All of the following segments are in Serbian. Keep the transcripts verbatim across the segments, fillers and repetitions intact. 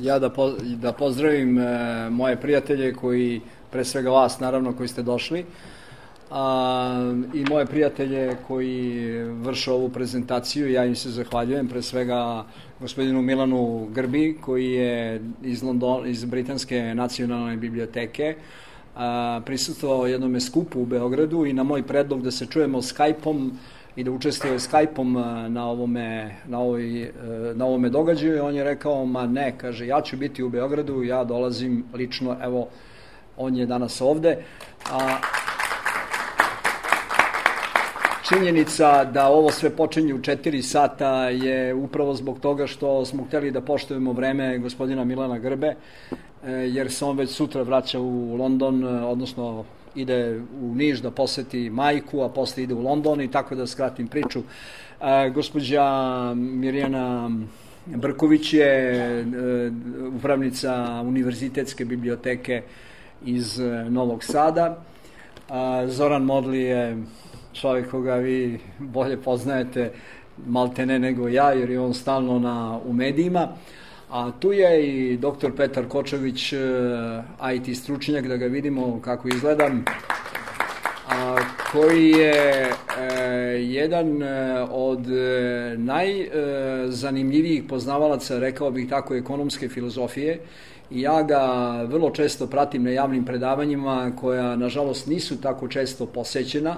ja da, po, da pozdravim e, moje prijatelje koji, pre svega vas naravno koji ste došli, a, i moje prijatelje koji vrše ovu prezentaciju. Ja im se zahvaljujem, pre svega gospodinu Milanu Grbi koji je iz, London, iz Britanske nacionalne biblioteke a, prisustvovao jednome skupu u Beogradu i na moj predlog da se čujemo Skype-om i da učestvuje Skype-om na ovome, na, ovoj, na ovome događaju. On je rekao, ma ne, kaže, ja ću biti u Beogradu, ja dolazim lično, evo, on je danas ovde. A činjenica da ovo sve počinje u četiri sata je upravo zbog toga što smo hteli da poštujemo vreme gospodina Milana Grbe, jer se on već sutra vraća u London, odnosno ide u Niš da poseti majku, a posle ide u London i tako da skratim priču. E, gospođa Mirjana Brković je e, upravnica Univerzitetske biblioteke iz Novog Sada. E, Zoran Modli je čovjek koga vi bolje poznajete maltene nego ja, jer je on stalno na, u medijima. A tu je i doktor Petar Kočević, I T stručnjak, da ga vidimo kako izgleda, a, koji je e, jedan od e, najzanimljivijih poznavalaca, rekao bih tako, ekonomske filozofije. I ja ga vrlo često pratim na javnim predavanjima koja, nažalost, nisu tako često posećena,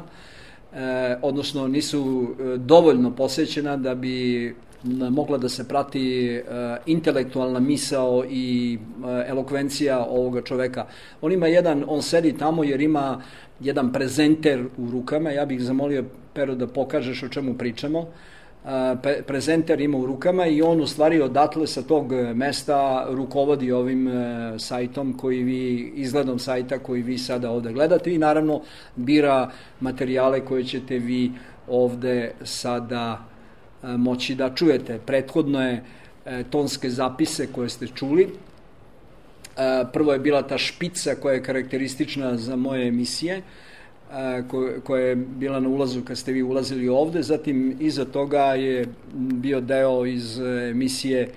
e, odnosno nisu dovoljno posećena da bi mogla da se prati uh, intelektualna misao i uh, elokvencija ovoga čoveka. On ima jedan, on sedi tamo jer ima jedan prezenter u rukama. Ja bih zamolio, Pero, da pokažeš o čemu pričamo. Uh, pe, prezenter ima u rukama i on u stvari odatle sa tog mesta rukovodi ovim uh, sajtom koji vi, izgledom sajta koji vi sada ovde gledate i naravno bira materijale koje ćete vi ovde sada moći da čujete. Prethodno je e, tonske zapise koje ste čuli. E, prvo je bila ta špica koja je karakteristična za moje emisije, e, ko, koja je bila na ulazu kad ste vi ulazili ovde. Zatim iza toga je bio deo iz emisije e,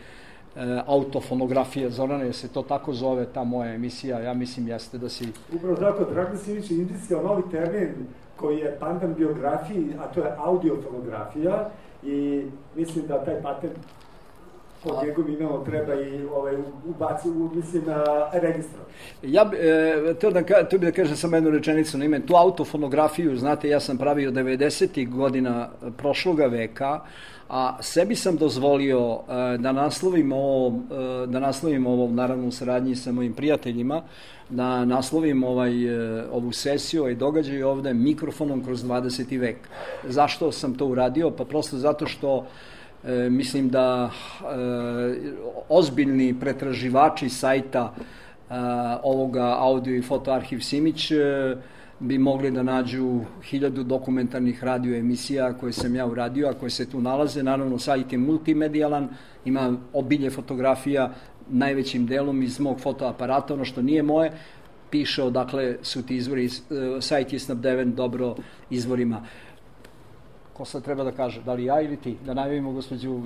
autofonografija. Zorane, je se to tako zove, ta moja emisija? Ja mislim jeste da si... Upravo tako, Dragan Simić je indicirao novi termin koji je pandan biografiji, a to je audiofonografija. I mislim da taj patent pod njegovim imenom treba i ovaj, ubaci, mislim, na registru. Ja e, to da, to bi da kažem samo jednu rečenicu na ime. Tu autofonografiju, znate, ja sam pravio devedesetih godina prošloga veka, a sebi sam dozvolio e, da naslovim ovo, e, da naslovim ovo, naravno u saradnji sa mojim prijateljima, da naslovim ovaj, ovu sesiju, ovaj događaj ovde mikrofonom kroz dvadeseti vek. Zašto sam to uradio? Pa prosto zato što e, mislim da e, ozbiljni pretraživači sajta e, ovoga audio i foto arhiv Simić e, bi mogli da nađu hiljadu dokumentarnih radio emisija koje sam ja uradio, a koje se tu nalaze. Naravno, sajt je multimedijalan, ima obilje fotografija, najvećim delom iz mog fotoaparata, ono što nije moje, piše odakle su ti izvori, sajt je snabdeven dobro izvorima. Ko sad treba da kaže, da li ja ili ti? Da najavimo gospođu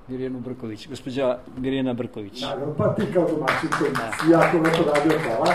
Mirjanu Brković. Gospođa Mirjana Brković. Naravno, pa ti kao domaćin koji si jako lepo radio, hvala.